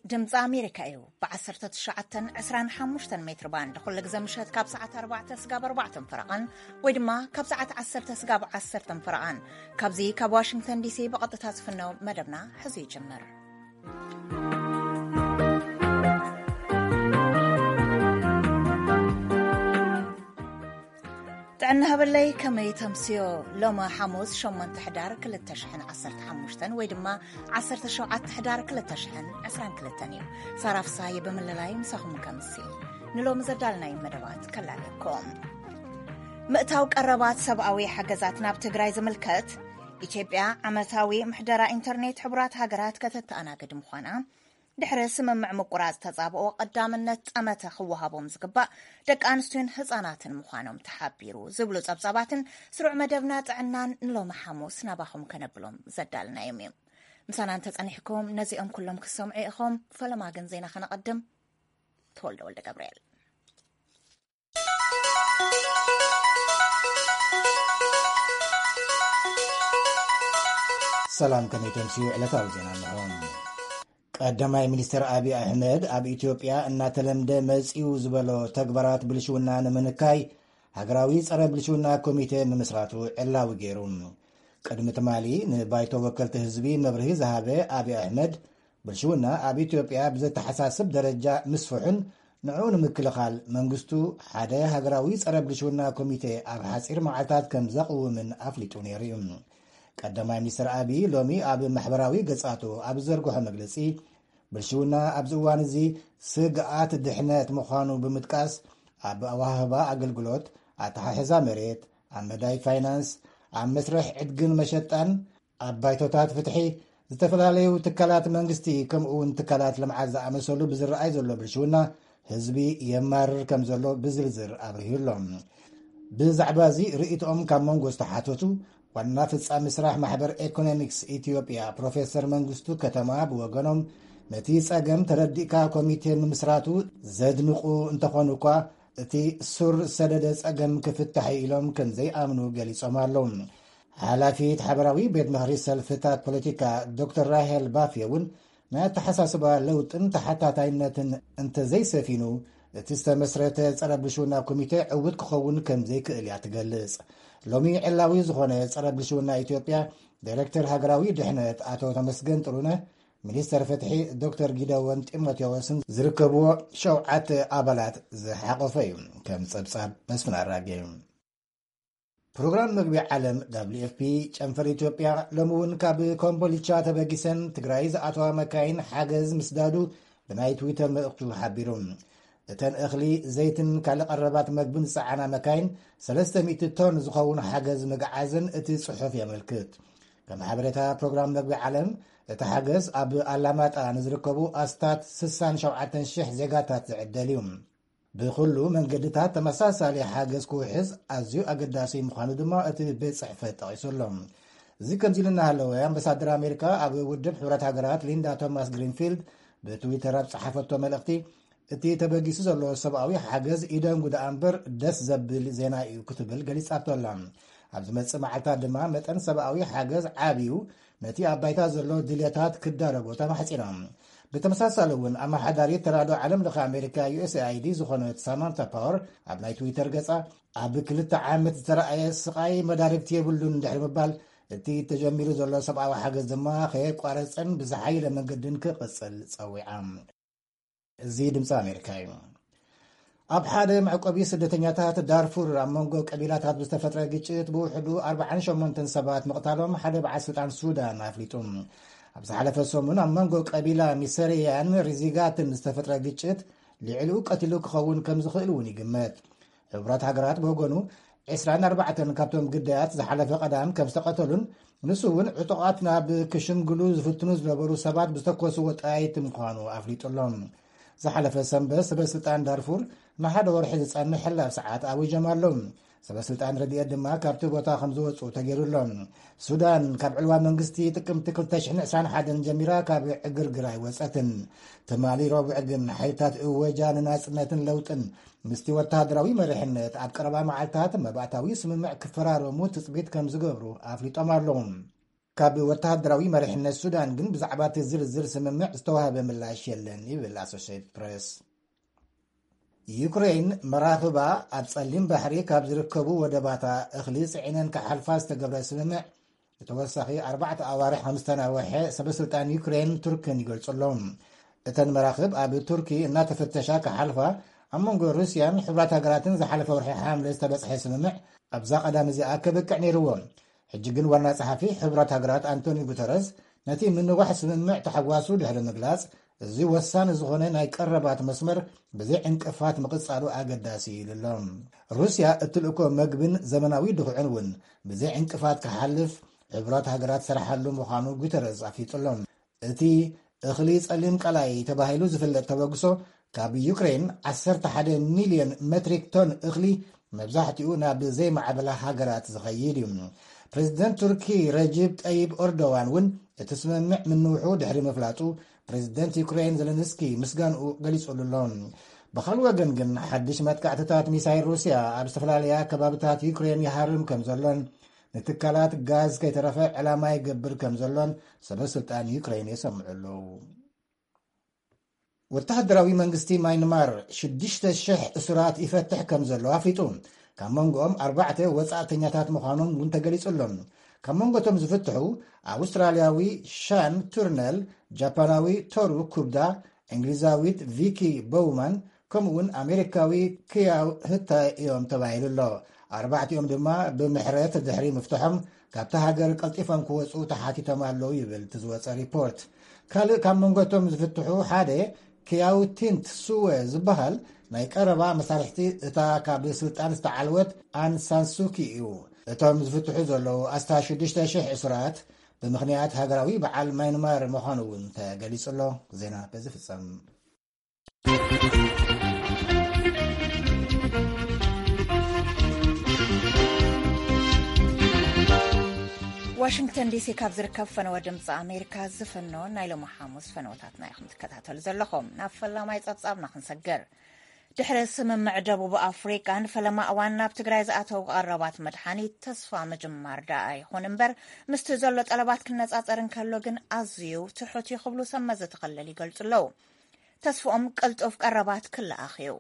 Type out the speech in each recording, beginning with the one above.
ድምፂ ኣሜሪካ እዩ። ብ19 25 ሜትር ባንድ ኩሉ ግዜ ምሸት ካብ ሰዓት ኣርባዕተ ስጋብ ኣርባዕተን ፈረቓን ወይ ድማ ካብ ሰዓት ዓሰርተ ስጋብ ዓሰርተን ፈረቓን፣ ካብዚ ካብ ዋሽንግተን ዲሲ ብቐጥታ ዝፍነው መደብና ሕዚ ይጅምር። ጥዕና ሃበለይ፣ ከመይ ተምስዮ? ሎሚ ሓሙስ ሸሞንተ ሕዳር ክልተ ሽሕን ዓሰርተ ሓሙሽተን ወይ ድማ ዓሰርተ ሸውዓተ ሕዳር ክልተ ሽሕን ዕስራን ክልተን እዩ። ሳራ ፍሳይ ብምልላይ ምሳኹም ከምሲ ንሎሚ ዘዳልናይ መደባት ከላለኩም። ምእታው ቀረባት ሰብኣዊ ሓገዛት ናብ ትግራይ ዝምልከት፣ ኢትዮጵያ ዓመታዊ ምሕደራ ኢንተርኔት ሕቡራት ሃገራት ከተተኣናግድ ምዃና፣ ድሕሪ ስምምዕ ምቁራጽ ተጻብኦ ቀዳምነት ጠመተ ክወሃቦም ዝግባእ ደቂ ኣንስትዮን ህጻናትን ምዃኖም ተሓቢሩ ዝብሉ ጸብጻባትን ስሩዕ መደብና ጥዕናን ንሎሚ ሓሙስ ናባኹም ከነብሎም ዘዳልናዮም እዮም። ምሳና እንተጸኒሕኩም ነዚኦም ኩሎም ክትሰምዑ ኢኹም። ፈለማ ግን ዜና ከነቐድም። ተወልደ ወልደ ገብርኤል። ሰላም፣ ከመይ ተምስዩ? ዕለታዊ ዜና እንሆ። ቀዳማይ ሚኒስትር ኣብይ ኣሕመድ ኣብ ኢትዮጵያ እናተለምደ መጺኡ ዝበሎ ተግባራት ብልሽውና ንምንካይ ሃገራዊ ጸረ ብልሽውና ኮሚቴ ምምስራቱ ዕላዊ ገይሩ። ቅድሚ ትማሊ ንባይቶ ወከልቲ ህዝቢ መብርሂ ዝሃበ ኣብይ ኣሕመድ፣ ብልሽውና ኣብ ኢትዮጵያ ብዘተሓሳስብ ደረጃ ምስፍሑን ንዕኡ ንምክልኻል መንግስቱ ሓደ ሃገራዊ ጸረ ብልሽውና ኮሚቴ ኣብ ሓጺር መዓልታት ከም ዘቕውምን ኣፍሊጡ ነይሩ እዩ። ቀዳማይ ሚኒስትር ኣብይ ሎሚ ኣብ ማሕበራዊ ገጻቱ ኣብ ዝዘርግሖ መግለጺ፣ ብልሽውና ኣብዚ እዋን እዚ ስግኣት ድሕነት ምዃኑ ብምጥቃስ፣ ኣብ ኣወሃህባ ኣገልግሎት፣ ኣተሓሕዛ መሬት፣ ኣብ መዳይ ፋይናንስ፣ ኣብ መስርሕ ዕድግን መሸጣን፣ ኣብ ባይቶታት ፍትሒ፣ ዝተፈላለዩ ትካላት መንግስቲ፣ ከምኡ እውን ትካላት ልምዓት ዝኣመሰሉ ብዝረኣይ ዘሎ ብልሽውና ህዝቢ የማርር ከም ዘሎ ብዝርዝር ኣብርሂሉ ኣሎ። ብዛዕባ እዚ ርእይቶኦም ካብ መንጎ ዝተሓተቱ ዋና ፍጻሚ ስራሕ ማሕበር ኤኮኖሚክስ ኢትዮጵያ ፕሮፌሰር መንግስቱ ከተማ ብወገኖም፣ ነቲ ጸገም ተረዲእካ ኮሚቴ ምምስራቱ ዘድንቑ እንተኾኑ እኳ፣ እቲ ሱር ሰደደ ጸገም ክፍታሕ እዩ ኢሎም ከም ዘይኣምኑ ገሊጾም ኣለዉ። ሓላፊት ሓበራዊ ቤት ምኽሪ ሰልፍታት ፖለቲካ ዶክተር ራሄል ባፌ እውን፣ ናይ ኣተሓሳስባ ለውጥን ተሓታታይነትን እንተዘይሰፊኑ፣ እቲ ዝተመስረተ ጸረ ብልሽውና ኮሚቴ ዕዉት ክኸውን ከም ዘይክእል እያ ትገልጽ። ሎሚ ዕላዊ ዝኾነ ጸረ ብልሽውና ኢትዮጵያ ዳይሬክተር ሃገራዊ ድሕነት ኣቶ ተመስገን ጥሩነህ፣ ሚኒስተር ፍትሒ ዶክተር ጊደዎን ጢሞቴዎስን ዝርከብዎ ሸውዓተ ኣባላት ዝሓቖፈ እዩ፣ ከም ጸብጻብ መስፍን ኣራጌ። ፕሮግራም መግቢ ዓለም፣ ደብሊው ኤፍ ፒ፣ ጨንፈር ኢትዮጵያ ሎሚ እውን ካብ ኮምቦልቻ ተበጊሰን ትግራይ ዝኣተዋ መካይን ሓገዝ ምስዳዱ ብናይ ትዊተር መልእኽቱ ሓቢሩ። እተን እኽሊ፣ ዘይትን ካልእ ቀረባት መግብን ዝጸዓና መካይን፣ ሰለስተ ሚእቲ ቶን ዝኸውን ሓገዝ ምግዓዘን እቲ ጽሑፍ የመልክት። ከም ሓበሬታ ፕሮግራም መግቢ ዓለም፣ እቲ ሓገዝ ኣብ ኣላማጣ ንዝርከቡ ኣስታት ስሳን ሸውዓተን ሽሕ ዜጋታት ዝዕደል እዩ። ብኹሉ መንገድታት ተመሳሳሊ ሓገዝ ክውሕዝ ኣዝዩ ኣገዳሲ ምዃኑ ድማ እቲ ቤት ጽሕፈት ጠቒሱ ኣሎ። እዚ ከምዚ ኢሉ እናሃለወ፣ ኣምባሳደር ኣሜሪካ ኣብ ውድብ ሕቡራት ሃገራት ሊንዳ ቶማስ ግሪንፊልድ ብትዊተር ኣብ ጸሓፈቶ መልእኽቲ፣ እቲ ተበጊሱ ዘሎ ሰብኣዊ ሓገዝ ኢደንጉ ደኣ እምበር ደስ ዘብል ዜና እዩ ክትብል ገሊጻቶ ኣላ። ኣብ ዝመጽእ መዓልታት ድማ መጠን ሰብኣዊ ሓገዝ ዓብዩ ነቲ ኣብ ባይታ ዘሎ ድልየታት ክዳረጎ ተማሕጺና። ብተመሳሳሊ እውን ኣመሓዳሪት ተራድኦ ዓለም ለኸ ኣሜሪካ ዩ ኤስ ኤ ኣይ ዲ ዝኾነት ሳማንታ ፓወር ኣብ ናይ ትዊተር ገጻ፣ ኣብ ክልተ ዓመት ዝተረኣየ ስቓይ መዳርግቲ የብሉን ድሕሪ ምባል፣ እቲ ተጀሚሩ ዘሎ ሰብኣዊ ሓገዝ ድማ ከየቋረጸን ብዝሓየለ መንገድን ክቕጽል ጸዊዓ። እዚ ድምፂ ኣሜሪካ እዩ። ኣብ ሓደ መዕቆቢ ስደተኛታት ዳርፉር ኣብ መንጎ ቀቢላታት ብዝተፈጥረ ግጭት ብውሕዱ ኣርባዓን ሸሞንተን ሰባት ምቕታሎም ሓደ በዓል ስልጣን ሱዳን ኣፍሊጡ። ኣብ ዝሓለፈ ሰሙን ኣብ መንጎ ቀቢላ ሚሰሪያን ሪዚጋትን ዝተፈጥረ ግጭት ልዕሊኡ ቀቲሉ ክኸውን ከም ዝኽእል እውን ይግመት። ሕቡራት ሃገራት ብወገኑ፣ ዕስራን ኣርባዕተን ካብቶም ግዳያት ዝሓለፈ ቀዳም ከም ዝተቐተሉን ንሱ እውን ዕጡቓት ናብ ክሽምግሉ ዝፍትኑ ዝነበሩ ሰባት ብዝተኮስዎ ጠያይቲ ምዃኑ ኣፍሊጡ ኣሎ። ዝሓለፈ ሰንበት ሰበ ስልጣን ዳርፉር ንሓደ ወርሒ ዝጸንሕ ሕላፍ ሰዓት ኣዊጆም ኣለዉ። ሰበ ስልጣን ረድኤት ድማ ካብቲ ቦታ ከም ዝወጹ ተገይሩ ኣሎ። ሱዳን ካብ ዕልዋ መንግስቲ ጥቅምቲ ክልተ ሽሕን ዕስራን ሓደን ጀሚራ ካብ ዕግርግር ኣይወጸትን። ትማሊ ረቡዕ ግን ሓይልታት እወጃ ንናጽነትን ለውጥን ምስቲ ወተሃደራዊ መሪሕነት ኣብ ቀረባ መዓልታት መባእታዊ ስምምዕ ክፈራረሙ ትጽቢት ከም ዝገብሩ ኣፍሊጦም ኣለዉ። ካብ ወተሃደራዊ መሪሕነት ሱዳን ግን ብዛዕባ እቲ ዝርዝር ስምምዕ ዝተዋህበ ምላሽ የለን ይብል ኣሶሽየትድ ፕሬስ። ዩክሬን መራኽባ ኣብ ጸሊም ባሕሪ ካብ ዝርከቡ ወደባታ እኽሊ ጽዒነን ክሓልፋ ዝተገብረ ስምምዕ ንተወሳኺ ኣርባዕተ ኣዋርሕ ከም ዝተናወሐ ሰበ ስልጣን ዩክሬን ቱርክን ይገልጹ ኣለዉ። እተን መራኽብ ኣብ ቱርኪ እናተፈተሻ ክሓልፋ ኣብ መንጎ ሩስያን ሕቡራት ሃገራትን ዝሓለፈ ወርሒ ሓምለ ዝተበጽሐ ስምምዕ ኣብዛ ቀዳም እዚኣ ከብቅዕ ነይርዎ። ሕጂ ግን ዋና ጸሓፊ ሕቡራት ሃገራት ኣንቶኒ ጉተረዝ ነቲ ምንዋሕ ስምምዕ ተሓጓሱ ድሕሪ ምግላጽ፣ እዚ ወሳኒ ዝኾነ ናይ ቀረባት መስመር ብዘይ ዕንቅፋት ምቕጻሉ ኣገዳሲ እዩ ኢሉ ኣሎ። ሩስያ እትልእኮ መግብን ዘመናዊ ድኹዕን እውን ብዘይ ዕንቅፋት ክሓልፍ ሕቡራት ሃገራት ዝሰርሓሉ ምዃኑ ጉተረዝ ኣፍሊጡ ኣሎ። እቲ እኽሊ ጸሊም ቀላይ ተባሂሉ ዝፍለጥ ተበግሶ ካብ ዩክሬን ዓሰርተ ሓደ ሚልዮን ሜትሪክ ቶን እኽሊ መብዛሕትኡ ናብ ዘይማዕበላ ሃገራት ዝኸይድ እዩ። ፕሬዚደንት ቱርኪ ረጅብ ጠይብ ኦርዶዋን እውን እቲ ስምምዕ ምንውሑ ድሕሪ ምፍላጡ ፕሬዚደንት ዩክሬን ዘለንስኪ ምስጋንኡ ገሊጹሉ ኣሎ። ብኻልእ ወገን ግን ሓድሽ መጥቃዕትታት ሚሳይል ሩስያ ኣብ ዝተፈላለያ ከባብታት ዩክሬን ይሃርም ከም ዘሎን ንትካላት ጋዝ ከይተረፈ ዕላማ ይገብር ከም ዘሎን ሰበ ስልጣን ዩክሬን የሰምዑ ኣለዉ። ወተሃደራዊ መንግስቲ ማይንማር ሽዱሽተ ሽሕ እሱራት ይፈትሕ ከም ዘሎ ኣፍሊጡ። ካብ መንጎኦም ኣርባዕተ ወጻእተኛታት ምዃኖም እውን ተገሊጹ ኣሎ። ካብ መንጎቶም ዝፍትሑ ኣውስትራልያዊ ሻን ቱርነል፣ ጃፓናዊ ቶሩ ኩብዳ፣ እንግሊዛዊት ቪኪ ቦውማን ከምኡውን ኣሜሪካዊ ክያው ህታይ እዮም ተባሂሉ ኣሎ። ኣርባዕቲኦም ድማ ብምሕረት ድሕሪ ምፍትሖም ካብታ ሃገር ቀልጢፎም ክወፁ ተሓቲቶም ኣለዉ ይብል እቲ ዝወፀ ሪፖርት። ካልእ ካብ መንጎቶም ዝፍትሑ ሓደ ክያው ቲንት ሱወ ዝበሃል ናይ ቀረባ መሳርሕቲ እታ ካብ ስልጣን ዝተዓልወት ኣን ሳንሱኪ እዩ። እቶም ዝፍትሑ ዘለዉ ኣስታት ሽዱሽተ ሽሕ እሱራት ብምኽንያት ሃገራዊ በዓል ማይንማር ምዃኑ እውን ተገሊጹ ኣሎ። ዜና በዚ ፍጸም። ዋሽንግተን ዲሲ ካብ ዝርከብ ፈነወ ድምፂ ኣሜሪካ ዝፍኖ ናይ ሎሚ ሓሙስ ፈነወታትና ኢኹም ትከታተሉ ዘለኹም። ናብ ፈላማይ ጸብጻብና ክንሰግር። ድሕሪ ስምምዕ ደቡብ ኣፍሪቃ ንፈለማ እዋን ናብ ትግራይ ዝኣተው ቀረባት መድሓኒት ተስፋ ምጅማር ደኣ ይኹን እምበር፣ ምስቲ ዘሎ ጠለባት ክነጻጸር እንከሎ ግን ኣዝዩ ትሑት እዩ ክብሉ ሰብ መዚ እቲ ክልል ይገልጹ ኣለዉ። ተስፍኦም ቅልጡፍ ቀረባት ክለኣኽ እዩ።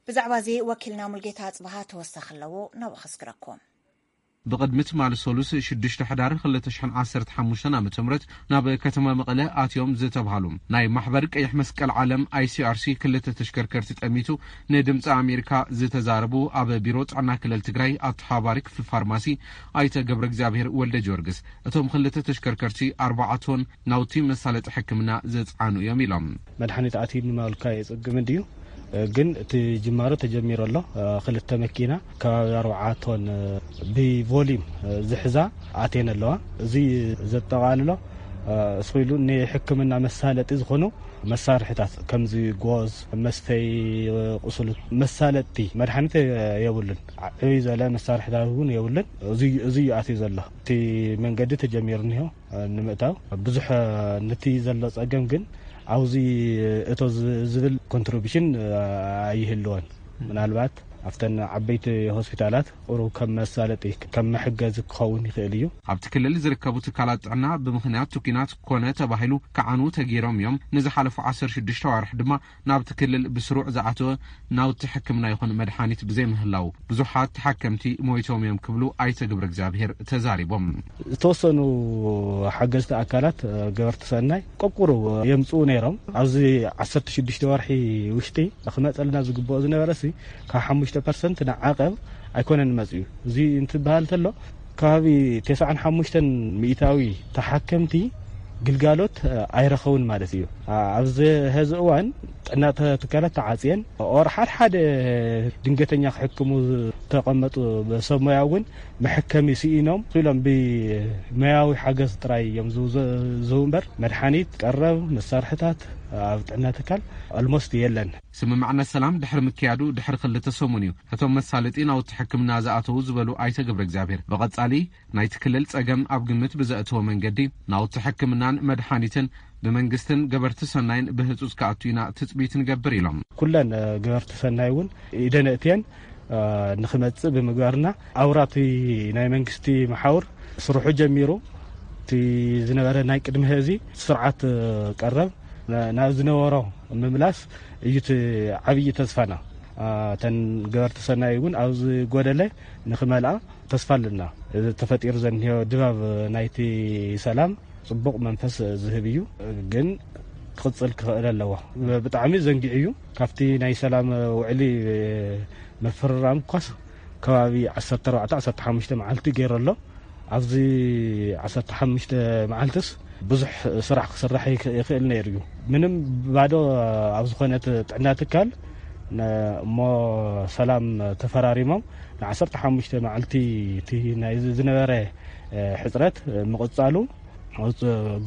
ብዛዕባ እዚ ወኪልና ሙልጌታ ኣጽብሃ ተወሳኺ ኣለዎ፣ ናብኡ ከስግረኩም። ብቕድሚ ትማሊ ሰሉስ ሽዱሽተ ሕዳር ክልተ ሽሕን ዓሰርተ ሓሙሽተን ዓመተ ምህረት ናብ ከተማ መቐለ ኣትዮም ዝተብሃሉ ናይ ማሕበር ቀይሕ መስቀል ዓለም፣ ኣይሲኣርሲ፣ ክልተ ተሽከርከርቲ ጠሚቱ ንድምፂ ኣሜሪካ ዝተዛረቡ ኣብ ቢሮ ጥዕና ክልል ትግራይ ኣተሓባባሪ ክፍሊ ፋርማሲ ኣይተ ገብረ እግዚኣብሔር ወልደ ጊዮርጊስ፣ እቶም ክልተ ተሽከርከርቲ ኣርባዓ ቶን ናውቲ መሳለጢ ሕክምና ዘፅዓኑ እዮም ኢሎም። መድሓኒት ኣትዩ ንማልካ የፀግም እንድዩ፣ ግን እቲ ጅማሮ ተጀሚሩ ኣሎ። ክልተ መኪና ከባቢ ኣርባዓ ቶን ብቮሊም ዝሕዛ ኣትየን ኣለዋ። እዚ ዘጠቓልሎ እስኺሉ ንሕክምና መሳለጢ ዝኾኑ መሳርሕታት ከምዚ ጎዝ፣ መስተይ ቁስሉ፣ መሳለጥቲ መድሓኒት የብሉን። ዕብይ ዝበለ መሳርሕታት እውን የብሉን። እዚ እዩ ኣትዩ ዘሎ። እቲ መንገዲ ተጀሚሩ እኒሆ ንምእታው ብዙሕ ነቲ ዘሎ ጸገም ግን ኣብዚ እቶ ዝ- ዝብል ኮንትሪቢሽን ኣይህልዎን። ምናልባት ኣብተን ዓበይቲ ሆስፒታላት ቁሩብ ከም መሳለጢ ከም መሕገዚ ክኸውን ይኽእል እዩ። ኣብቲ ክልል ዝርከቡ ትካላት ጥዕና ብምኽንያት እቲ ኲናት ኮነ ተባሂሉ ክዓኑ ተገይሮም እዮም። ንዝሓለፉ ዓሰርተ ሽዱሽተ ኣዋርሕ ድማ ናብቲ ክልል ብስሩዕ ዝኣተወ ናውቲ ሕክምና ይኹን መድሓኒት ብዘይምህላው ብዙሓት ተሓከምቲ ሞይቶም እዮም ክብሉ ኣይተ ገብረ እግዚኣብሔር ተዛሪቦም። ዝተወሰኑ ሓገዝቲ ኣካላት ገበርቲ ሰናይ ቆቁሩ የምፅኡ ነይሮም። ኣብዚ ዓሰርተ ሽዱሽተ ወርሒ ውሽጢ ክመፀልና ዝግብኦ ዝነበረ ሲ ካብ ሓሙሽተ ፐርሰንት ንዓቐብ ኣይኮነን መፅኡ። እዚ እንትበሃል ተሎ ከባቢ ተስዓን ሓሙሽተን ሚእታዊ ተሓከምቲ ግልጋሎት ኣይረኸቡን ማለት እዩ። ኣብዚ ሀዚ እዋን ጥዕና ትካላት ተዓፅየን ኦር ሓደ ሓደ ድንገተኛ ክሕክሙ ዝተቐመጡ ሰብ ሞያ እውን መሐከሚ ስኢኖም ኢሎም ብመያዊ ሓገዝ ጥራይ እዮም ዝውዘ- ዝህቡ እምበር መድሓኒት፣ ቀረብ መሳርሕታት ኣብ ጥዕና ትካል ኦልሞስት የለን። ስምምዕነት ሰላም ድሕሪ ምክያዱ ድሕሪ ክልተ ሰሙን እዩ እቶም መሳለጢ ናውቲ ሕክምና ዝኣተዉ ዝበሉ ኣይተ ገብረ እግዚኣብሔር ብቐጻሊ ናይቲ ክልል ጸገም ኣብ ግምት ብዘእተወ መንገዲ ናውቲ ሕክምናን መድሓኒትን ብመንግስትን ገበርቲ ሰናይን ብህጹጽ ክኣቱ ኢና ትጽቢት ንገብር ኢሎም። ኩለን ገበርቲ ሰናይ እውን ኢደን እትየን ንክመፅእ ብምግባርና ኣውራቲ ናይ መንግስቲ መሓውር ስርሑ ጀሚሩ እቲ ዝነበረ ናይ ቅድሚ ሕዚ ስርዓት ቀረብ ናብ ዝነበሮ ምምላስ እዩ እቲ ዓብዪ ተስፋና። እተን ገበርቲ ሰናይ እውን ኣብዚ ጎደለ ንክመልኣ ተስፋ ኣለና። ተፈጢሩ ዘንዮ ድባብ ናይቲ ሰላም ጽቡቕ መንፈስ ዝህብ እዩ፣ ግን ክቕጽል ክኽእል ኣለዎ። ብጣዕሚ ዘንጊዑ እዩ። ካብቲ ናይ ሰላም ውዕሊ ምፍርራም ኳስ ከባቢ ዓሰርተ ኣርባዕተ ዓሰርተ ሓሙሽተ መዓልቲ ገይሩ ኣሎ። ኣብዚ ዓሰርተ ሓሙሽተ መዓልትስ ብዙሕ ስራሕ ክስራሕ ይኽእል ነይሩ እዩ። ምንም ባዶ ኣብ ዝኾነት ጥዕና ትካል እሞ ሰላም ተፈራሪሞም ንዓሰርተ ሓሙሽተ መዓልቲ እቲ ናይ ዝነበረ ሕፅረት ምቕፃሉ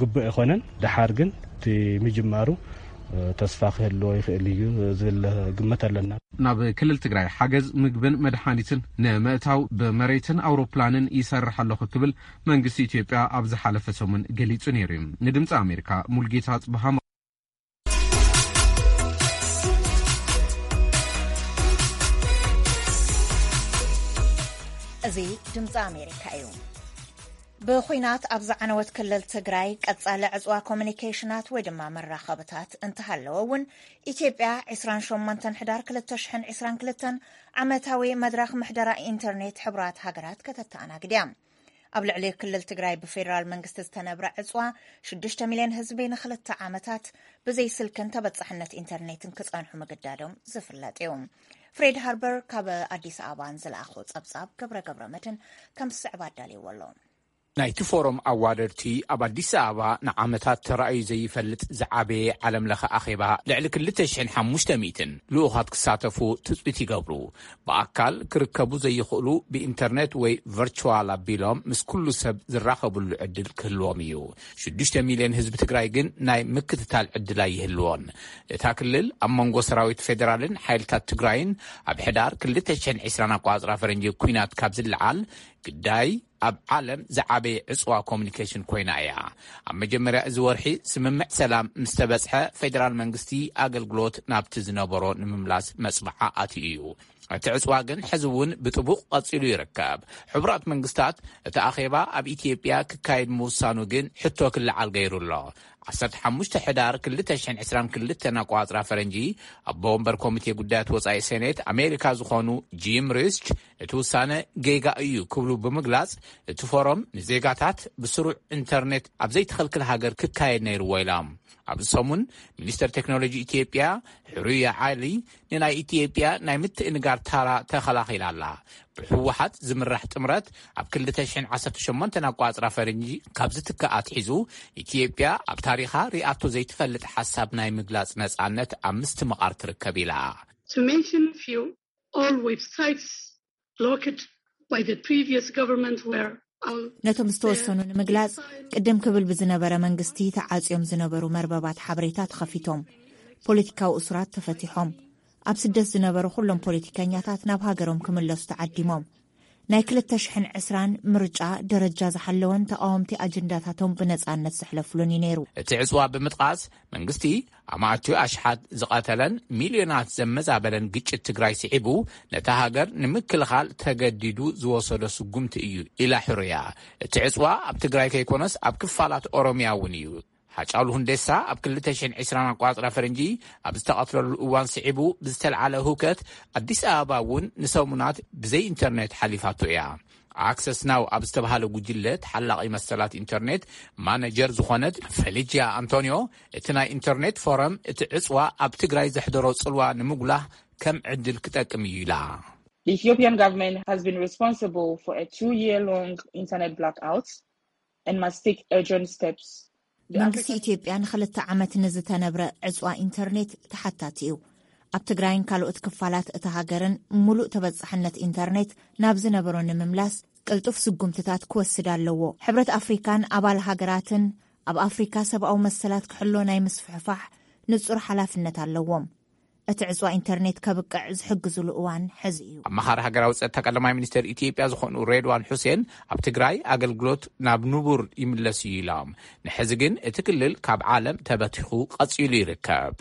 ግቡእ ኣይኮነን። ደሓር ግን እቲ ምጅማሩ ተስፋ ክህልዎ ይኽእል እዩ ዝብል ግምት ኣለና። ናብ ክልል ትግራይ ሓገዝ ምግብን መድሓኒትን ንምእታው ብመሬትን ኣውሮፕላንን ይሰርሕ ኣለኹ ክብል መንግስቲ ኢትዮጵያ ኣብ ዝሓለፈ ሰሙን ገሊጹ ነይሩ እዩ። ንድምፂ ኣሜሪካ ሙልጌታ ጽብሃ። እዚ ድምፂ ኣሜሪካ እዩ። ብኹናት ኣብ ዝዓነወት ክልል ትግራይ ቀጻሊ ዕፅዋ ኮሚኒኬሽናት ወይ ድማ መራኸብታት እንተሃለወ እውን፣ ኢትዮጵያ ዕስራን ሸሞንተን ሕዳር ክልተ ሽሕን ዕስራን ክልተን ዓመታዊ መድረኽ ምሕደራ ኢንተርኔት ሕቡራት ሃገራት ከተተኣናግድ እያ። ኣብ ልዕሊ ክልል ትግራይ ብፌደራል መንግስቲ ዝተነብረ ዕፅዋ ሽዱሽተ ሚልዮን ህዝቢ ንክልተ ዓመታት ብዘይ ስልክን ተበፃሕነት ኢንተርኔትን ክፀንሑ ምግዳዶም ዝፍለጥ እዩ። ፍሬድ ሃርበር ካብ ኣዲስ ኣበባ ንዝለኣኾ ፀብፃብ ገብረ ገብረ መድህን ከም ዝስዕብ ኣዳልይዎ ኣሎ። ናይቲ ፎረም ኣዋደድቲ ኣብ ኣዲስ ኣበባ ንዓመታት ተራእዩ ዘይፈልጥ ዝዓበየ ዓለም ለኸ ኣኼባ ልዕሊ ክልተ ሽሕን ሓሙሽተ ሚእትን ልኡኻት ክሳተፉ ትጽቢት ይገብሩ። ብኣካል ክርከቡ ዘይኽእሉ ብኢንተርኔት ወይ ቨርቹዋል ኣቢሎም ምስ ኩሉ ሰብ ዝራኸብሉ ዕድል ክህልዎም እዩ። ሽዱሽተ ሚልዮን ህዝቢ ትግራይ ግን ናይ ምክትታል ዕድል ኣይህልዎን። እታ ክልል ኣብ መንጎ ሰራዊት ፌደራልን ሓይልታት ትግራይን ኣብ ሕዳር ክልተ ሽሕን ዕስራን ኣቋጽራ ፈረንጂ ኲናት ካብ ዝለዓል ግዳይ ኣብ ዓለም ዝዓበየ ዕፅዋ ኮሚኒኬሽን ኮይና እያ። ኣብ መጀመርያ እዚ ወርሒ ስምምዕ ሰላም ምስ ተበጽሐ ፌደራል መንግስቲ ኣገልግሎት ናብቲ ዝነበሮ ንምምላስ መጽብዓ ኣትዩ እዩ። እቲ ዕፅዋ ግን ሕዚ እውን ብጥቡቕ ቀጺሉ ይርከብ። ሕቡራት መንግስታት እቲ ኣኼባ ኣብ ኢትዮጵያ ክካየድ ምውሳኑ ግን ሕቶ ክለዓል ገይሩ ኣሎ። ዓሰርተ ሓሙሽተ ሕዳር ክልተ ሽሕን ዕስራን ክልተን ኣቋጽራ ፈረንጂ ኣቦ ወንበር ኮሚቴ ጉዳያት ወጻኢ ሴኔት ኣሜሪካ ዝኾኑ ጂም ሪስች እቲ ውሳነ ጌጋ እዩ ክብሉ ብምግላጽ፣ እቲ ፎረም ንዜጋታት ብስሩዕ ኢንተርኔት ኣብ ዘይትኸልክል ሃገር ክካየድ ነይርዎ ኢሎም። ኣብዚ ሰሙን ሚኒስተር ቴክኖሎጂ ኢትዮጵያ ሕሩያ ዓሊ ንናይ ኢትዮጵያ ናይ ምትእንጋር ታራ ተኸላኺላ ኣላ። ብህወሓት ዝምራሕ ጥምረት ኣብ ክልተ ሽሕን ዓሰርተ ሸሞንተን ኣቋጽራ ፈረንጂ ካብ ዝትከኣ ኣትሒዙ፣ ኢትዮጵያ ኣብ ታሪኻ ሪኣቶ ዘይትፈልጥ ሓሳብ ናይ ምግላጽ ነጻነት ኣብ ምስትምቓር ትርከብ ኢላ። To mention a few, all websites blocked by the previous government were out ነቶም ዝተወሰኑ ንምግላጽ፣ ቅድም ክብል ብዝነበረ መንግስቲ ተዓጽዮም ዝነበሩ መርበባት ሓበሬታ ተኸፊቶም። ፖለቲካዊ እሱራት ተፈቲሖም። ኣብ ስደት ዝነበሩ ኩሎም ፖለቲከኛታት ናብ ሃገሮም ክምለሱ ተዓዲሞም። ናይ ክልተ ሽሕን ዕስራን ምርጫ ደረጃ ዝሓለወን ተቓወምቲ ኣጀንዳታቶም ብነጻነት ዘሕለፍሉን እዩ ነይሩ። እቲ ዕጽዋ ብምጥቓስ፣ መንግስቲ ኣማእትዩ ኣሽሓት ዝቐተለን ሚልዮናት ዘመዛበለን ግጭት ትግራይ ስዒቡ፣ ነታ ሃገር ንምክልኻል ተገዲዱ ዝወሰዶ ስጉምቲ እዩ ኢላ ሕሩያ። እቲ ዕጽዋ ኣብ ትግራይ ከይኮነስ ኣብ ክፋላት ኦሮምያ እውን እዩ። ሃጫሉ ሁንዴሳ ኣብ ክልተ ሽሕን ዕስራን ኣቋጽራ ፈረንጂ ኣብ ዝተቐትለሉ እዋን ስዒቡ ብዝተልዓለ ህውከት፣ ኣዲስ ኣበባ እውን ንሰሙናት ብዘይ ኢንተርኔት ሓሊፋቶ እያ። ኣክሰስ ናው ኣብ ዝተባሃለ ጉጅለ ተሓላቒ መሰላት ኢንተርኔት ማነጀር ዝኾነት ፌሊጂያ ኣንቶኒዮ፣ እቲ ናይ ኢንተርኔት ፎረም እቲ ዕጽዋ ኣብ ትግራይ ዘሕደሮ ጽልዋ ንምጉላህ ከም ዕድል ክጠቅም እዩ ኢላ። The Ethiopian government has been responsible for a two-year-long internet blackout and must take urgent steps. The መንግስቲ African ኢትዮጵያ ንክልተ ዓመት ንዝተነብረ ዕጽዋ ኢንተርኔት ተሓታቲ እዩ። ኣብ ትግራይን ካልኦት ክፋላት እታ ሃገርን ምሉእ ተበጻሕነት ኢንተርኔት ናብ ዝነበሮ ንምምላስ ቅልጡፍ ስጉምትታት ክወስድ ኣለዎ። ሕብረት ኣፍሪካን ኣባል ሃገራትን ኣብ ኣፍሪካ ሰብኣዊ መሰላት ክሕሎ ናይ ምስፍሕፋሕ ንጹር ሓላፍነት ኣለዎም። እቲ ዕጽዋ ኢንተርኔት ከብቅዕ ዝሕግዙሉ እዋን ሕዚ እዩ። ኣማኻሪ ሃገራዊ ጸጥታ ቀዳማይ ሚኒስትር ኢትዮጵያ ዝኾኑ ሬድዋን ሑሴን ኣብ ትግራይ ኣገልግሎት ናብ ንቡር ይምለስ እዩ ኢሎም። ንሕዚ ግን እቲ ክልል ካብ ዓለም ተበቲኹ ቀጺሉ ይርከብ።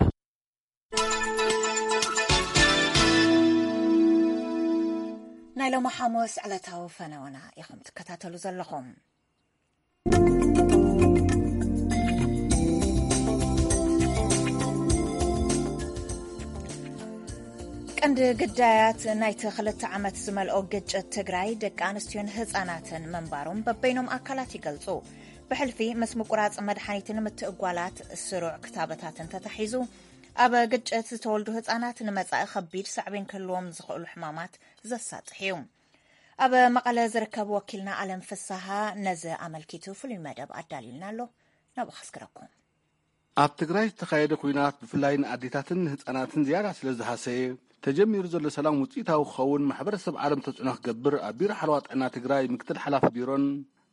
ናይ ሎሚ ሓሙስ ዕለታዊ ፈነወና ኢኹም ትከታተሉ ዘለኹም። ቀንዲ ግዳያት ናይቲ ክልተ ዓመት ዝመልኦ ግጭት ትግራይ ደቂ ኣንስትዮን ህፃናትን ምንባሮም በበይኖም ኣካላት ይገልፁ። ብሕልፊ ምስ ምቁራፅ መድሓኒትን ምትእጓላት ስሩዕ ክታበታትን ተታሒዙ፣ ኣብ ግጭት ዝተወልዱ ህፃናት ንመጻኢ ከቢድ ሳዕቤን ክህልዎም ዝኽእሉ ሕማማት ዘሳጥሕ እዩ። ኣብ መቐለ ዝርከብ ወኪልና ኣለም ፍስሃ ነዚ ኣመልኪቱ ፍሉይ መደብ ኣዳልዩልና ኣሎ። ናብኡ ከስግረኩም። ኣብ ትግራይ ዝተኻየደ ኲናት ብፍላይ ንኣዴታትን ንህፃናትን ዝያዳ ስለ ዝሃሰየ፣ ተጀሚሩ ዘሎ ሰላም ውፅኢታዊ ክኸውን ማሕበረሰብ ዓለም ተፅዕኖ ክገብር ኣብ ቢሮ ሓለዋ ጥዕና ትግራይ ምክትል ሓላፊ ቢሮን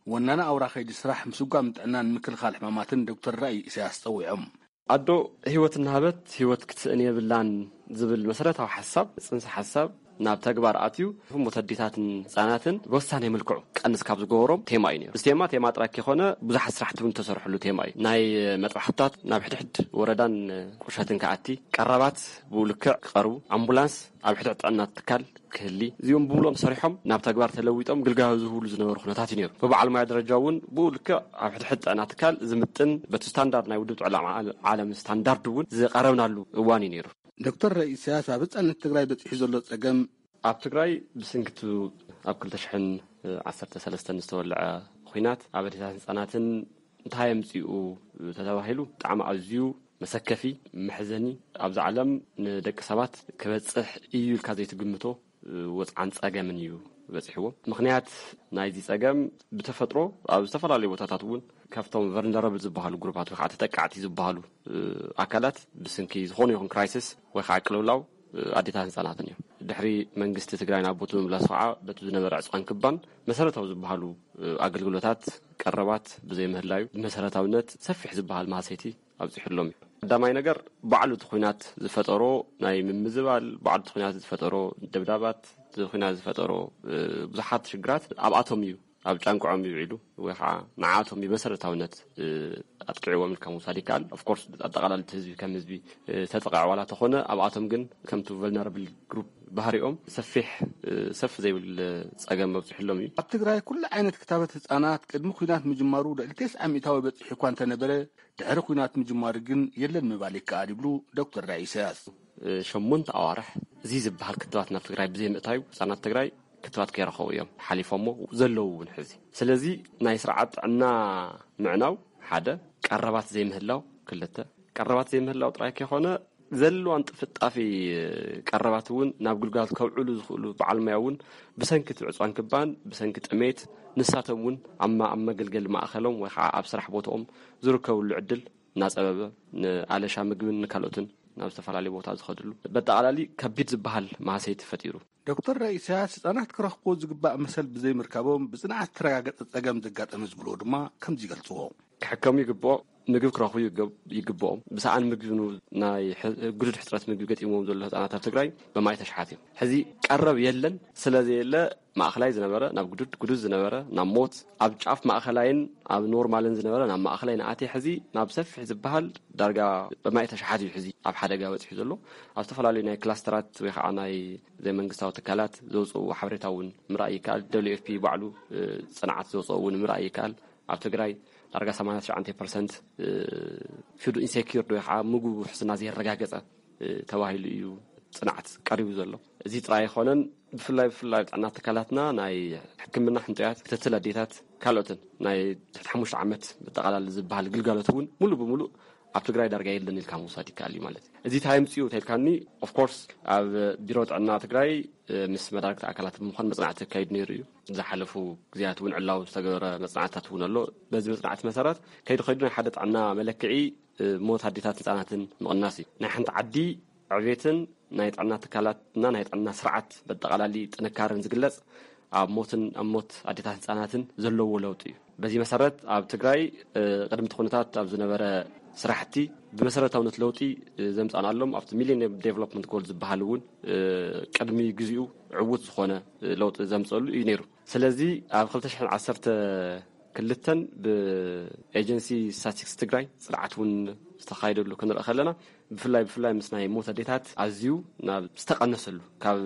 ወናኒ ኣውራ ከይዲ ስራሕ ምስጓም ጥዕናን ምክልኻል ሕማማትን ዶክተር ራእይ ኢሳያስ ፀዊዖም። ኣዶ ህይወት እናሃበት ህይወት ክትስእን የብላን ዝብል መሰረታዊ ሓሳብ፣ ጽንሰ ሓሳብ ናብ ተግባር ኣትዩ፣ ሞት ኣዴታትን ህጻናትን ብወሳኒ መልክዑ ቀንስ ካብ ዝገበሮም ቴማ እዩ ነይሩ። እዚ ቴማ፣ ቴማ ጥራይ ከይኮነ ብዙሓት ስራሕቲ እውን ዝተሰርሐሉ ቴማ እዩ። ናይ መጥባሕትታት ናብ ሕድሕድ ወረዳን ቁሸትን ክኣቲ፣ ቀረባት ብኡ ልክዕ ክቐርቡ፣ ኣምቡላንስ ኣብ ሕድሕድ ጥዕና ትካል ክህሊ፣ እዚኦም ብሙሉኦም ሰሪሖም ናብ ተግባር ተለዊጦም ግልጋሎት ዝህብሉ ዝነበሩ ኩነታት እዩ ነይሩ። ብበዓል ሞያ ደረጃ እውን ብኡ ልክዕ ኣብ ሕድሕድ ጥዕና ትካል ዝምጥን በቲ ስታንዳርድ ናይ ውድብ ጥዕና ዓለ-፣ ዓለም ስታንዳርድ እውን ዝቐረብናሉ እዋን እዩ ነይሩ። ዶክተር ራእይ ኢሳያስ ኣብ ህፃነት ትግራይ በፂሑ ዘሎ ፀገም ኣብ ትግራይ ብሰንኪ እቲ ኣብ ክልተ ሽሕን ዓሰርተ ሰለስተን ዝተወልዐ ኹናት ኣብ ኣዴታትን ህፃናትን እንታይ ኣምፂኡ ተተባሂሉ ብጣዕሚ ኣዝዩ መሰከፊ፣ መሕዘኒ፣ ኣብዚ ዓለም ንደቂ ሰባት ክበፅሕ እዩ ኢልካ ዘይትግምቶ ወፅዓን ፀገምን እዩ በፂሕዎ። ምኽንያት ናይዚ ፀገም ብተፈጥሮ ኣብ ዝተፈላለዩ ቦታታት እውን ካብቶም ቨልነረብል ዝበሃሉ ግሩፓት ወይ ከዓ ተጠቃዕቲ ዝበሃሉ፣ እ፣ ኣካላት ብስንኪ ዝኾነ ይኹን ክራይሲስ ወይ ከዓ ቅልውላው፣ እ፣ ኣዴታት ህፃናትን እዮም። ድሕሪ መንግስቲ ትግራይ ናብ ቦቱ ምምላሱ ከዓ በቲ ዝነበረ ዕፅዋን ክባን መሰረታዊ ዝበሃሉ፣ እ፣ ኣገልግሎታት ቀረባት ብዘይምህላዩ ብመሰረታዊነት ሰፊሕ ዝበሃል ማህሰይቲ ኣብፂሑሎም እዩ። ቀዳማይ ነገር ባዕሉ እቲ ኹናት ዝፈጠሮ ናይ ምምዝባል፣ ባዕሉ እቲ ኹናት ዝፈጠሮ ደብዳባት፣ እቲ ኹናት ዝፈጠሮ፣ እ፣ ብዙሓት ሽግራት ኣብኣቶም እዩ፣ ኣብ ጫንቅዖም እዩ ውዒሉ፣ ወይ ከዓ ንዓኣቶም እዩ መሰረታውነት፣ እ፣ ኣጥቂዕዎም ኢልካ ምውሳድ ይከኣል። ኦፍኮርስ ኣጠቓላሊ እቲ ህዝቢ ከም ህዝቢ፣ እ፣ ተጠቃዕ ዋላ ተኾነ ኣብኣቶም ግን ከምቲ ቨልነረብል ግሩፕ ባህሪኦም ሰፊሕ፣ እ፣ ሰፍ ዘይብል ጸገም መብፅሕሎም እዩ። ኣብ ትግራይ ኩሉ ዓይነት ክታበት ህፃናት ቅድሚ ኲናት ምጅማሩ ልዕሊ ተስዓ ሚእታዊ በፂሑ እኳ እንተነበረ፣ ድሕሪ ኲናት ምጅማሩ ግን የለን ምባል ይከኣል ይብሉ ዶክተር ራእይ ኢሳያስ። እ፣ ሸሞንተ ኣዋርሕ እዚ ዝበሃል ክትባት ናብ ትግራይ ብዘይምእታዩ ህፃናት ትግራይ ክትባት ከይረኸቡ እዮም ሓሊፎሞ ዘለዉ እውን ሕዚ። ስለዚ ናይ ስርዓት ጥዕና ምዕናው ሓደ፣ ቀረባት ዘይምህላው ክልተ፣ ቀረባት ዘይምህላው ጥራይ ከይኮነ ዘለዋን ጥፍጣፊ ቀረባት እውን ናብ ግልጋሎት ከውዕሉ ዝኽእሉ በዓል ሞያ እውን ብሰንኪ እቲ ዕፅዋን ክባን፣ ብሰንኪ ጥሜት፣ ንሳቶም እውን ኣብ ማ-፣ ኣብ መገልገሊ ማእኸሎም ወይ ከዓ ኣብ ስራሕ ቦታኦም ዝርከብሉ ዕድል እናፀበበ፣ ንኣለሻ ምግብን ንካልኦትን ናብ ዝተፈላለዩ ቦታ ዝኸድሉ በጠቓላሊ ከቢድ ዝበሃል ማህሰይቲ ፈጢሩ። ዶክተር ራእይ ኢሳያስ ህፃናት ክረኽብዎ ዝግባእ መሰል ብዘይምርካቦም ብፅንዓት ዝተረጋገፀ ፀገም ዘጋጠመ ዝብልዎ ድማ ከምዚ ይገልፅዎ። ክሕከሙ ይግብኦ፣ ምግቢ ክረኽቡ ይገብ-፣ ይግብኦም። ብሰኣን ምግቢ ን-፣ ናይ ሕ-፣ ግዱድ ሕፅረት ምግቢ ገጢምዎም ዘሎ ህፃናት ኣብ ትግራይ ብማይ ተሽሓት እዮም። ሕዚ ቀረብ የለን፣ ስለ ዘየለ ማእኸላይ ዝነበረ ናብ ግዱድ፣ ግዱድ ዝነበረ ናብ ሞት፣ ኣብ ጫፍ ማእኸላይን ኣብ ኖርማልን ዝነበረ ናብ ማእኸላይ ንኣትየ። ሕዚ ናብ ሰፊሕ ዝበሃል ዳርጋ ብማይ ተሽሓት እዩ ሕዚ ኣብ ሓደጋ በፂሑ ዘሎ። ኣብ ዝተፈላለዩ ናይ ክላስተራት ወይ ከዓ ናይ ዘይመንግስታዊ ትካላት ዘውፅእዎ ሓበሬታ እውን ምርኣይ ይከኣል። ደብሊው ኤፍ ፒ ባዕሉ፣ እ፣ ፅንዓት ዘውፅኦ እውን ምርኣይ ይከኣል። ኣብ ትግራይ ዳርጋ ሰማንያ ትሽዓተ ፐርሰንት፣ እ፣ ፉድ ኢንሴኪርድ ወይ ከዓ ምግቡ ውሕስና ዘየረጋገፀ፣ እ፣ ተባሂሉ እዩ ፅንዓት ቀሪቡ ዘሎ። እዚ ጥራይ ኣይኮነን፣ ብፍላይ፣ ብፍላይ ኣብ ጥዕና ትካላትና ናይ ሕክምና ሕንጦያት፣ ክትትል ኣዴታት፣ ካልኦትን ናይ ትሕቲ ሓሙሽተ ዓመት ብጠቓላሊ ዝበሃል ግልጋሎት እውን ሙሉእ ብሙሉእ ኣብ ትግራይ ዳርጋ የለን ኢልካ ምውሳድ ይከኣል እዩ ማለት እዩ። እዚ እንታይ ኣምፅኡ ተልካኒ፣ ኦፍኮርስ ኣብ ቢሮ ጥዕና ትግራይ፣ እ፣ ምስ መዳርግቲ ኣካላት ብምዃን መፅናዕቲ ተካይዱ ነይሩ እዩ። ዝሓለፉ ግዜያት እውን ዕላዊ ዝተገበረ መፅናዕትታት እውን ኣሎ። በዚ መፅናዕቲ መሰረት ከይዱ ከይዱ ናይ ሓደ ጥዕና መለክዒ፣ እ፣ ሞት ኣዴታት ህፃናትን ምቕናስ እዩ። ናይ ሓንቲ ዓዲ ዕቤትን ናይ ጥዕና ትካላትና ናይ ጥዕና ስርዓት በጠቓላሊ ጥንካረን ዝግለፅ ኣብ ሞትን ኣብ ሞት ኣዴታት ህፃናትን ዘለዎ ለውጢ እዩ። በዚ መሰረት ኣብ ትግራይ፣ እ፣ ቅድሚ እቲ ኩነታት ኣብ ዝነበረ ስራሕቲ ብመሰረታውነት ለውጢ፣ እ፣ ዘምፃእናሎም ኣብቲ ሚሌኒየም ዴቨሎፕመንት ጎል ዝበሃል እውን፣ እ፣ ቅድሚ ግዚኡ ዕዉት ዝኾነ፣ እ፣ ለውጢ ዘምፀሉ እዩ ነይሩ። ስለዚ ኣብ ክልተ ሽሕን ዓሰርተ ክልተን ብኤጀንሲ ስታቲስቲክስ ትግራይ ፅንዓት እውን ዝተኻየደሉ ክንርኢ ከለና ብፍላይ፣ ብፍላይ ምስ ናይ ሞት ኣዴታት ኣዝዩ ናብ ዝተቐነሰሉ ካብ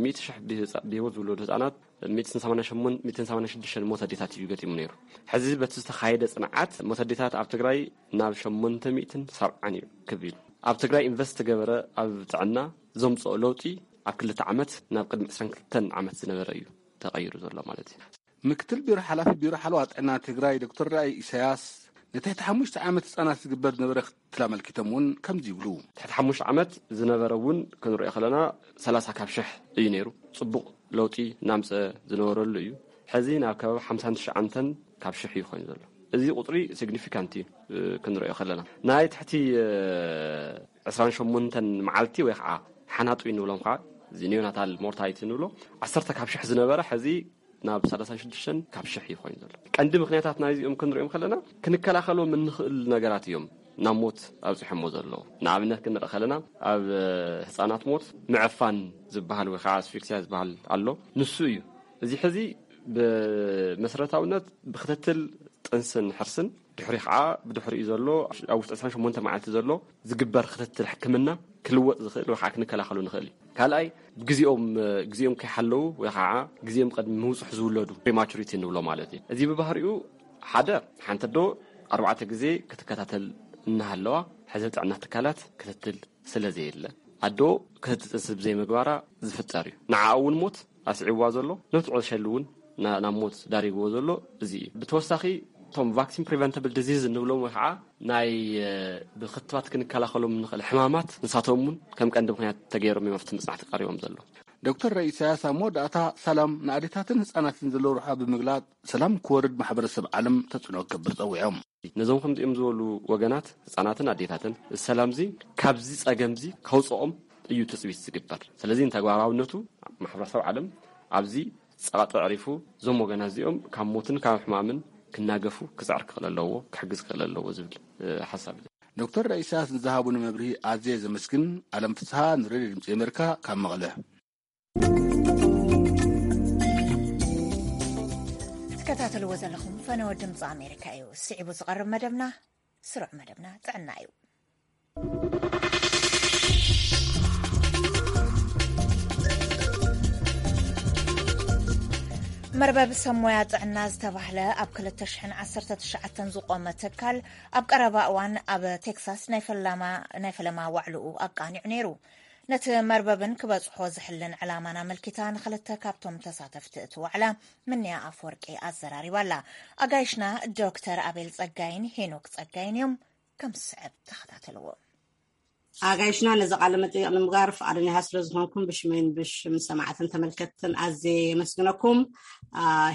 ሚእቲ ሽሕ ብህፃ-፣ ብህይወት ዝውለዱ ህፃናት ሚእትን ሰማንያን ሸሞንተ፣ ሚእትን ሰማንያን ሽዱሽተን ሞት ኣዴታት እዩ ገጢሙ ነይሩ። ሕዚ በቲ ዝተኻየደ ፅንዓት ሞት ኣዴታት ኣብ ትግራይ ናብ ሸሞንተ ሚእትን ሰብዓን እዩ ክብ ኢሉ። ኣብ ትግራይ ኢንቨስት ተገበረ ኣብ ጥዕና ዘምፅኦ ለውጢ ኣብ ክልተ ዓመት ናብ ቅድሚ ዕስራን ክልተን ዓመት ዝነበረ እዩ ተቐይሩ ዘሎ ማለት እዩ። ምክትል ቢሮ ሓላፊ ቢሮ ሓለዋ ጥዕና ትግራይ ዶክተር ራእይ ኢሳያስ፣ ንትሕቲ ሓሙሽተ ዓመት ህፃናት ዝግበር ዝነበረ ክትትል ኣመልኪቶም እውን ከምዚ ይብሉ። ትሕቲ ሓሙሽተ ዓመት ዝነበረ እውን ክንሪኦ ከለና ሰላሳ ካብ ሽሕ እዩ ነይሩ። ፅቡቕ ለውጢ እናምፀ ዝነበረሉ እዩ። ሕዚ ናብ ከባቢ ሓምሳን ትሽዓተን ካብ ሽሕ እዩ ኮይኑ ዘሎ። እዚ ቁፅሪ ሲግኒፊካንት እዩ። ክንሪኦ ከለና ናይ ትሕቲ ዕስራን ሸሞንተን መዓልቲ ወይ ከዓ ሓናጡ እንብሎም ከዓ፣ እዚ ኒዮናታል ሞርታሊቲ እንብሎ፣ ዓሰርተ ካብ ሽሕ ዝነበረ ሕዚ ናብ ሰላሳን ሽዱሽተን ካብ ሽሕ እዩ ኮይኑ ዘሎ። ቀንዲ ምክንያታት ናይዚኦም ክንሪኦም ከለና ክንከላኸሎም እንኽእል ነገራት እዮም ናብ ሞት ኣብፅሖሞ ዘለዉ። ንኣብነት ክንርኢ ከለና ኣብ ህፃናት ሞት ምዕፋን ዝበሃል ወይ ከዓ ኣስፊክሲያ ዝበሃል ኣሎ። ንሱ እዩ። እዚ ሕዚ ብመሰረታውነት ብክትትል ጥንስን ሕርስን ድሕሪ ከዓ ብድሕሪኡ ዘሎ ኣብ ውሽጢ ዕስራን ሸሞንተ መዓልቲ ዘሎ ዝግበር ክትትል ሕክምና ክልወጥ ዝኽእል ወይ ከዓ ክንከላኸሉ ንኽእል እዩ። ካልኣይ፣ ግዜኦም ግዜኦም ከይሓለዉ ወይ ከዓ ግዜኦም ቅድሚ ምውፅሑ ዝውለዱ ፕሪማቹሪቲ ንብሎ ማለት እዩ። እዚ ብባህሪኡ ሓደ ሓንቲ ኣዶ ኣርባዕተ ግዜ ክትከታተል እናሃለዋ ሕዚ ጥዕና ትካላት ክትትል ስለ ዘየለ ኣዶ ክትትል ጥንሲ ብዘይምግባራ ዝፍጠር እዩ። ንዓ እውን ሞት ኣስዒዋ ዘሎ ነቲ ቁሸሊ እውን ናብ ሞት ዳሪግዎ ዘሎ እዚ እዩ። ብተወሳኺ እቶም ቫክሲን ፕሪቨንተብል ዲዚዝ እንብሎም ወይ ከዓ ናይ ብክትባት ክንከላኸሎም ንኽእል ሕማማት ንሳቶም እውን ከም ቀንዲ ምክንያት ተገይሮም እዮም ኣብቲ መፅናዕቲ ቀሪቦም ዘለዉ። ዶክተር ኢሳያስ ኣብ መወዳእታ ሰላም ንኣዴታትን ህፃናትን ዘለዎ ረብሓ ብምግላፅ ሰላም ክወርድ ማሕበረሰብ ዓለም ተፅዕኖ ክገብር ፀዊዖም። ነዞም ከምዚኦም ዝበሉ ወገናት ህፃናትን ኣዴታትን ሰላምዚ ካብዚ ፀገምዚ ከውፅኦም እዩ ትፅቢት ዝግበር። ስለዚ ንተግባራውነቱ ማሕበረሰብ ዓለም ኣብዚ ፀቕጢ ኣዕሪፉ እዞም ወገናት እዚኦም ካብ ሞትን ካብ ሕማምን ክናገፉ ክፅዕር ክኽእል ኣለዎ፣ ክሕግዝ ክኽእል ኣለዎ ዝብል ሓሳብ እዩ። ዶክተር ኢሳያስ ንዝሃቡኒ መብርሂ ኣዝየ ዘመስግን። ኣለም ፍስሃ ንሬድዮ ድምፂ ኣሜሪካ ካብ መቐለ። ትከታተልዎ ዘለኹም ፈነወ ድምፂ ኣሜሪካ እዩ። ስዒቡ ዝቐርብ መደብና ስሩዕ መደብና ጥዕና እዩ። መርበብ ሰብ ሞያ ጥዕና ዝተባህለ ኣብ ክልተ ሽሕን ዓሰርተ ትሽዓተን ዝቖመ ትካል ኣብ ቀረባ እዋን ኣብ ቴክሳስ ናይ ፈለማ ዋዕልኡ ኣቃኒዑ ነይሩ። ነቲ መርበብን ክበጽሖ ዝሕልን ዕላማን ኣመልኪታ ንኽልተ ካብቶም ተሳተፍቲ እቲ ዋዕላ ምንያ ኣፈወርቂ ኣዘራሪባ ኣላ። ኣጋይሽና ዶክተር ኣቤል ጸጋይን ሄኖክ ጸጋይን እዮም። ከም ዝስዕብ ተኸታተልዎ። ኣጋይሽና ነዚ ቃለ መጠይቕ ንምግባር ፍቓደኛታት ስለ ዝኾንኩም ብሽመይን ብሽም ሰማዕትን ተመልከትትን ኣዝየ የመስግነኩም።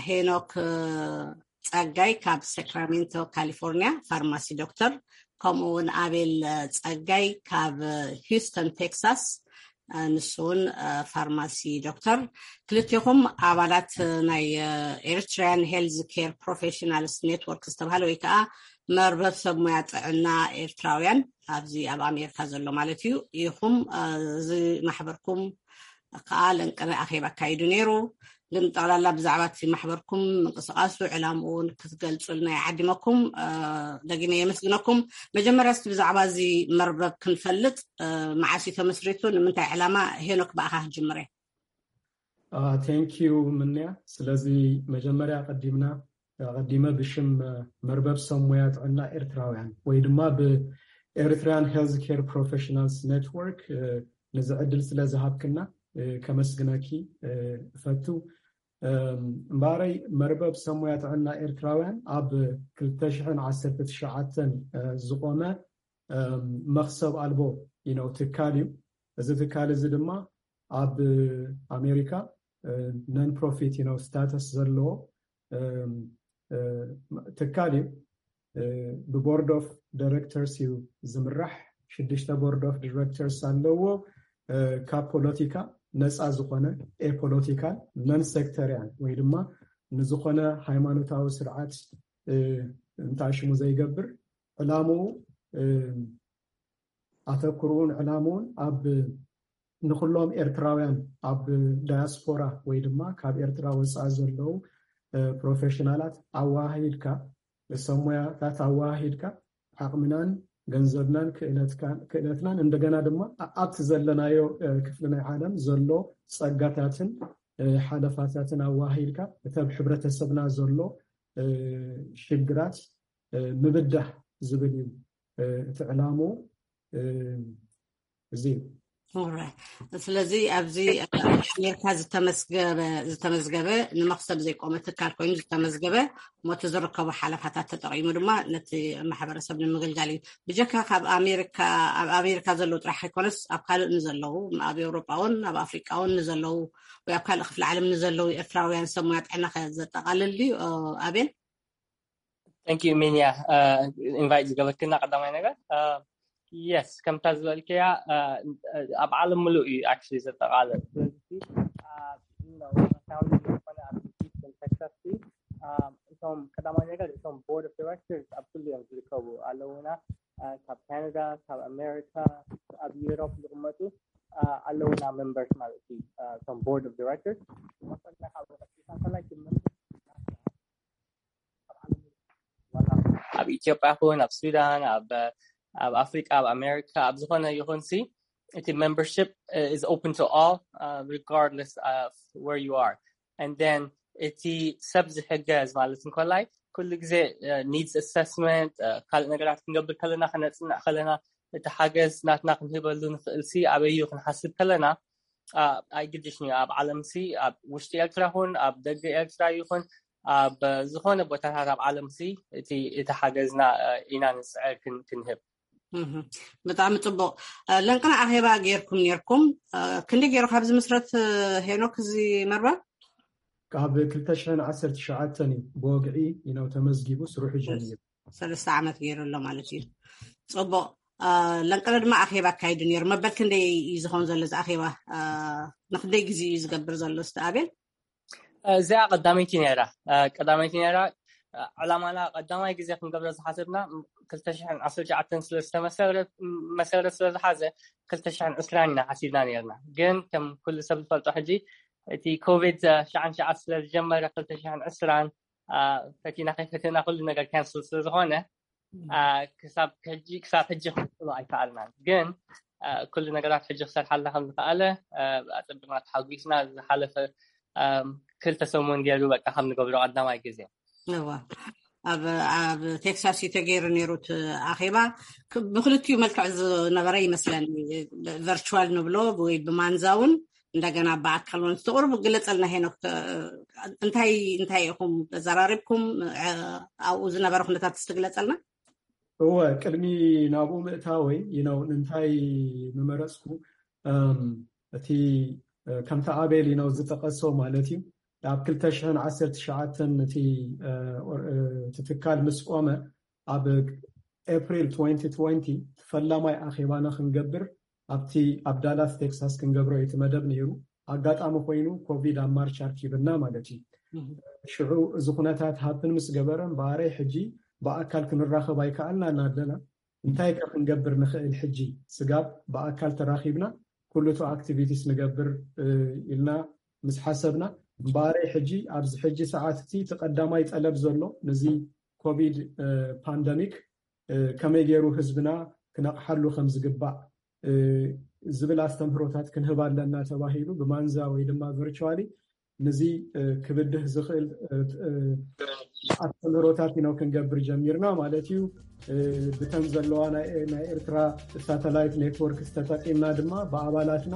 ሄኖክ ጸጋይ ካብ ሳክራሜንቶ ካሊፎርኒያ ፋርማሲ ዶክተር፣ ከምኡ እውን ኣቤል ጸጋይ ካብ ሂውስተን ቴክሳስ፣ ንሱ እውን ፋርማሲ ዶክተር። ክልቴኹም ኣባላት ናይ ኤሪትሪያን ሄልዝ ኬር ፕሮፌሽናልስ ኔትወርክ ዝተባሃለ ወይ ከዓ መርበብ ሰብ ሞያ ጥዕና ኤርትራውያን ኣብዚ ኣብ ኣሜሪካ ዘሎ ማለት እዩ ኢኹም። እዚ ማሕበርኩም ከዓ ለንቅነ ኣኼባ ኣካይዱ ነይሩ። ግን ጠቕላላ ብዛዕባ እቲ ማሕበርኩም ምንቅስቃሱ ዕላምኡ እውን ክትገልፁልና ይዓዲመኩም። ደጊመ የመስግነኩም። መጀመርያ እስቲ ብዛዕባ እዚ መርበብ ክንፈልጥ፣ መዓስ እዩ ተመስሪቱ፣ ንምንታይ ዕላማ? ሄኖክ ብኣኻ ክጅምር እየ። ቴንኪዩ ምንያ። ስለዚ መጀመርያ ቀዲምና ቀዲመ ብሽም መርበብ ሰብ ሞያ ጥዕና ኤርትራውያን ወይ ድማ ብኤሪትሪያን ሄልዝ ኬር ፕሮፌሽናልስ ኔትወርክ ነዚ ዕድል ስለ ዝሃብክና ከመስግነኪ እፈቱ። እምበኣረይ መርበብ ሰብ ሞያ ጥዕና ኤርትራውያን ኣብ ክልተ ሽሕን ዓሰርተ ትሽዓተን ዝቆመ መኽሰብ ኣልቦ ነው ትካል እዩ። እዚ ትካል እዚ ድማ ኣብ ኣሜሪካ ነን ፕሮፊት ነው ስታተስ ዘለዎ ትካል እዩ። ብቦርድ ኦፍ ዳይሬክተርስ እዩ ዝምራሕ። ሽዱሽተ ቦርድ ኦፍ ዳይሬክተርስ ኣለዎ። ካብ ፖለቲካ ነፃ ዝኾነ ኤፖለቲካል ነን ሴክተሪያን ወይ ድማ ንዝኾነ ሃይማኖታዊ ስርዓት እንታሽሙ ዘይገብር ዕላምኡ ኣተኩርኡን ዕላምኡን ኣብ ንኩሎም ኤርትራውያን ኣብ ዳያስፖራ ወይ ድማ ካብ ኤርትራ ወፃኢ ዘለዉ ፕሮፌሽናላት ኣዋሃሂድካ ሰብ ሞያታት ኣዋሃሂድካ ዓቕምናን ገንዘብናን ክእለትናን እንደገና ድማ ኣብቲ ዘለናዮ ክፍሊ ናይ ዓለም ዘሎ ፀጋታትን ሓለፋታትን ኣዋሃሂድካ እቲ ኣብ ሕብረተሰብና ዘሎ ሽግራት ምብዳህ ዝብል እዩ እቲ ዕላምኡ። እዚ እዩ። Alright. ስለዚ ኣብዚ ኣሜሪካ ዝተመዝገበ ዝተመዝገበ ንመክሰብ ዘይቆመ ትካል ኮይኑ ዝተመዝገበ፣ ሞቲ ዝርከቡ ሓለፋታት ተጠቂሙ ድማ ነቲ ማሕበረሰብ ንምግልጋል እዩ። ብጀካ ካብ ኣሜሪካ ኣብ ኣሜሪካ ዘለዉ ጥራሕ ኣይኮነስ ኣብ ካልእ ንዘለዉ፣ ኣብ ኤውሮጳ እውን ኣብ ኣፍሪቃ እውን ንዘለዉ ወይ ኣብ ካልእ ክፍሊ ዓለም ንዘለዉ ኤርትራውያን ሰብ ሙያ ጥዕና ከ ዘጠቃልል ድዩ? ኣቤል? Thank you ሚንያ፣ ኢንቫይት ዝገበርክና ቀዳማይ ነገር። የስ፣ ከምታ ዝበልክያ ኣብ ዓለም ምሉእ እዩ ኣክቹሊ ዘጠቃልል። ስለዚ ዝኾነ ኣብ ቴክሳስ እቶም ቀዳማይ ነገር እቶም ቦርድ ኦፍ ዳይሬክተርስ ኣብ ኩሉ እዮም ዝርከቡ ኣለውና። ካብ ካናዳ፣ ካብ ኣሜሪካ፣ ኣብ ዩሮፕ ዝቕመጡ ኣለውና ሜምበርስ ማለት እዩ። እቶም ቦርድ ኦፍ ዳይሬክተርስ ኣብ ኢትዮጵያ ይኹን ኣብ ሱዳን፣ ኣብ ኣፍሪቃ፣ ኣብ ኣሜሪካ፣ ኣብ ዝኾነ ይኹን ሲ እቲ membership is open to all regardless of where you are. And then እቲ ሰብ ዝሕገዝ ማለት እንኮላይ ኩሉ ግዜ needs assessment፣ ካልእ ነገራት ክንገብር ከለና፣ ክነፅንዕ ከለና፣ እቲ ሓገዝ ናትና ክንህበሉ ንኽእል ሲ ኣበይ እዩ ክንሓስብ ከለና፣ ኣይግድሽን እዩ ኣብ ዓለም ሲ ኣብ ውሽጢ ኤርትራ ይኹን ኣብ ደገ ኤርትራ ይኹን ኣብ ዝኾነ ቦታታት ኣብ ዓለም ሲ እቲ ሓገዝና ኢና ንፅዕር ክንህብ። ብጣዕሚ ፅቡቕ። ለንቅና ኣኼባ ጌርኩም ኔርኩም፣ ክንደይ ገይሩ ካብ ዝምስረት ሄኖክ እዚ መርበብ? ካብ ክልተ ሽሕን ዓሰርተ ትሽዓተን እዩ ብወግዒ ኢነው ተመዝጊቡ ስርሑ ጀሚሩ። ሰለስተ ዓመት ገይሩ ኣሎ ማለት እዩ። ፅቡቕ። ለንቅነ ድማ ኣኼባ ኣካይዱ ነይሩ። መበል ክንደይ እዩ ዝኸውን ዘሎ እዚ ኣኼባ? ንክንደይ ግዜ እዩ ዝገብር ዘሎ? እስቲ ኣቤል። እዚኣ ቀዳመይቲ ነይራ። ቀዳመይቲ ነይራ። ዕላማና ቀዳማይ ግዜ ክንገብሮ ዝሓሰብና ክልተ ሽሕን ዓሰርተ ትሽዓተን ስለ ዝተመሰረት መሰረት ስለ ዝሓዘ ክልተ ሽሕን ዕስራን ኢና ሓሲብና ነርና። ግን ከም ኩሉ ሰብ ዝፈልጦ ሕጂ እቲ ኮቪድ ትሽዓን ትሽዓን ስለ ዝጀመረ ክልተ ሽሕን ዕስራን ፈቲና ከይፈተና ኩሉ ነገር ካንስል ስለ ዝኾነ ክሳብ ሕጂ ክሳብ ሕጂ ክንቅፅሎ ኣይከኣልናን። ግን ኩሉ ነገራት ሕጂ ክሰርሓልና ከም ዝከኣለ ኣፀቢቕና ተሓጒስና። ዝሓለፈ ክልተ ሰሙን ገይሩ በቃ ከም ንገብሮ ቀዳማይ ግዜ እዋ ኣብ ኣብ ቴክሳስ እዩ ተገይሩ ነይሩ እቲ ኣኼባ። ብክልቲኡ መልክዕ ዝነበረ ይመስለኒ፣ ቨርቹዋል ንብሎ ወይ ብማንዛ እውን እንደገና ብኣካል እውን ትቕርቡ። ግለፀልና ሄኖክ፣ እንታይ እንታይ ኢኹም ተዘራሪብኩም? ኣብኡ ዝነበረ ኩነታት ትግለፀልና። እወ፣ ቅድሚ ናብኡ ምእታወይ ይነው እንታይ ምመረፅኩ፣ እቲ ከምቲ ኣቤል ይነው ዝጠቀሶ ማለት እዩ። ኣብ ክልተ ሽሕን ዓሰርተ ትሽዓተን እቲ ትካል ምስ ቆመ ኣብ ኤፕሪል ትወንቲ ትወንቲ ፈላማይ ኣኼባና ክንገብር ኣብቲ ኣብ ዳላስ ቴክሳስ ክንገብሮ እዩ እቲ መደብ ነይሩ። ኣጋጣሚ ኮይኑ ኮቪድ ኣብ ማርች ኣርኪብና ማለት እዩ። ሽዑ እዚ ኩነታት ሃፕን ምስ ገበረ እምበኣረይ ሕጂ ብኣካል ክንራኸብ ኣይከኣልናን ኣለና። እንታይ ከ ክንገብር ንኽእል ሕጂ? ስጋብ ብኣካል ተራኺብና ኩሉቱ ኣክቲቪቲስ ንገብር ኢልና ምስ ሓሰብና እምበኣረይ ሕጂ ኣብዚ ሕጂ ሰዓት እቲ እቲ ቀዳማይ ጠለብ ዘሎ ነዚ ኮቪድ ፓንደሚክ ከመይ ገይሩ ህዝብና ክነቕሓሉ ከም ዝግባእ ዝብል ኣስተምህሮታት ክንህብ ኣለና ተባሂሉ ብማንዛ ወይ ድማ ቨርቹዋሊ ንዚ ክብድህ ዝኽእል ኣስተምህሮታት ኢኖ ክንገብር ጀሚርና ማለት እዩ። ብተን ዘለዋ ናይ ኤርትራ ሳተላይት ኔትወርክ ዝተጠቂምና ድማ ብኣባላትና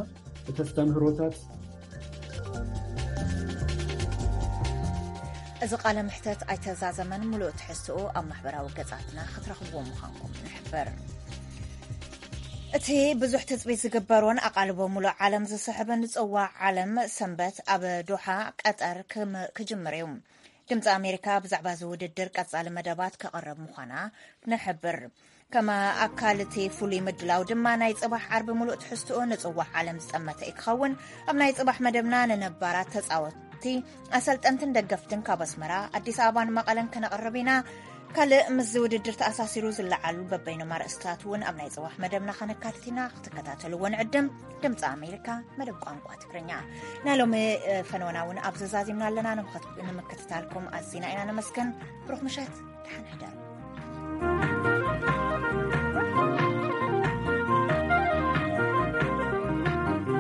እቲ ኣስተምህሮታት እዚ ቃለ ምሕተት ኣይተዛዘመን። ሙሉእ ትሕዝትኡ ኣብ ማሕበራዊ ገጻትና ክትረኽብዎ ምዃንኩም ንሕብር። እቲ ብዙሕ ትጽቢት ዝግበሮን ኣቓልቦ ሙሉእ ዓለም ዝስሕብን ጽዋዕ ዓለም ሰንበት ኣብ ዶሓ ቀጠር ክም- ክጅምር እዩ። ድምፂ ኣሜሪካ ብዛዕባ እዚ ውድድር ቀጻሊ መደባት ከቕርብ ምዃና ንሕብር። ከም ኣካል እቲ ፍሉይ ምድላው ድማ ናይ ጽባሕ ዓርቢ ሙሉእ ትሕዝትኡ ንጽዋዕ ዓለም ዝጠመተ እዩ ክኸውን። ኣብ ናይ ጽባሕ መደብና ንነባራት ተጻወትቲ፣ ኣሰልጠንትን ደገፍትን ካብ ኣስመራ፣ ኣዲስ ኣበባን መቐለን ከነቕርብ ኢና። ካልእ ምስዚ ውድድር ተኣሳሲሩ ዝለዓሉ በበይኖም ኣርእስታት እውን ኣብ ናይ ጽባሕ መደብና ከነካትት ኢና። ክትከታተልዎ ንዕድም። ድምፂ ኣሜሪካ መደብ ቋንቋ ትግርኛ ናይ ሎሚ ፈነወና እውን ኣብዚ ዛዚምና ኣለና። ንምክትታልኩም ኣዚና ኢና ነመስግን። ብሩኽ ምሸት፣ ደሓን ሕደሩ።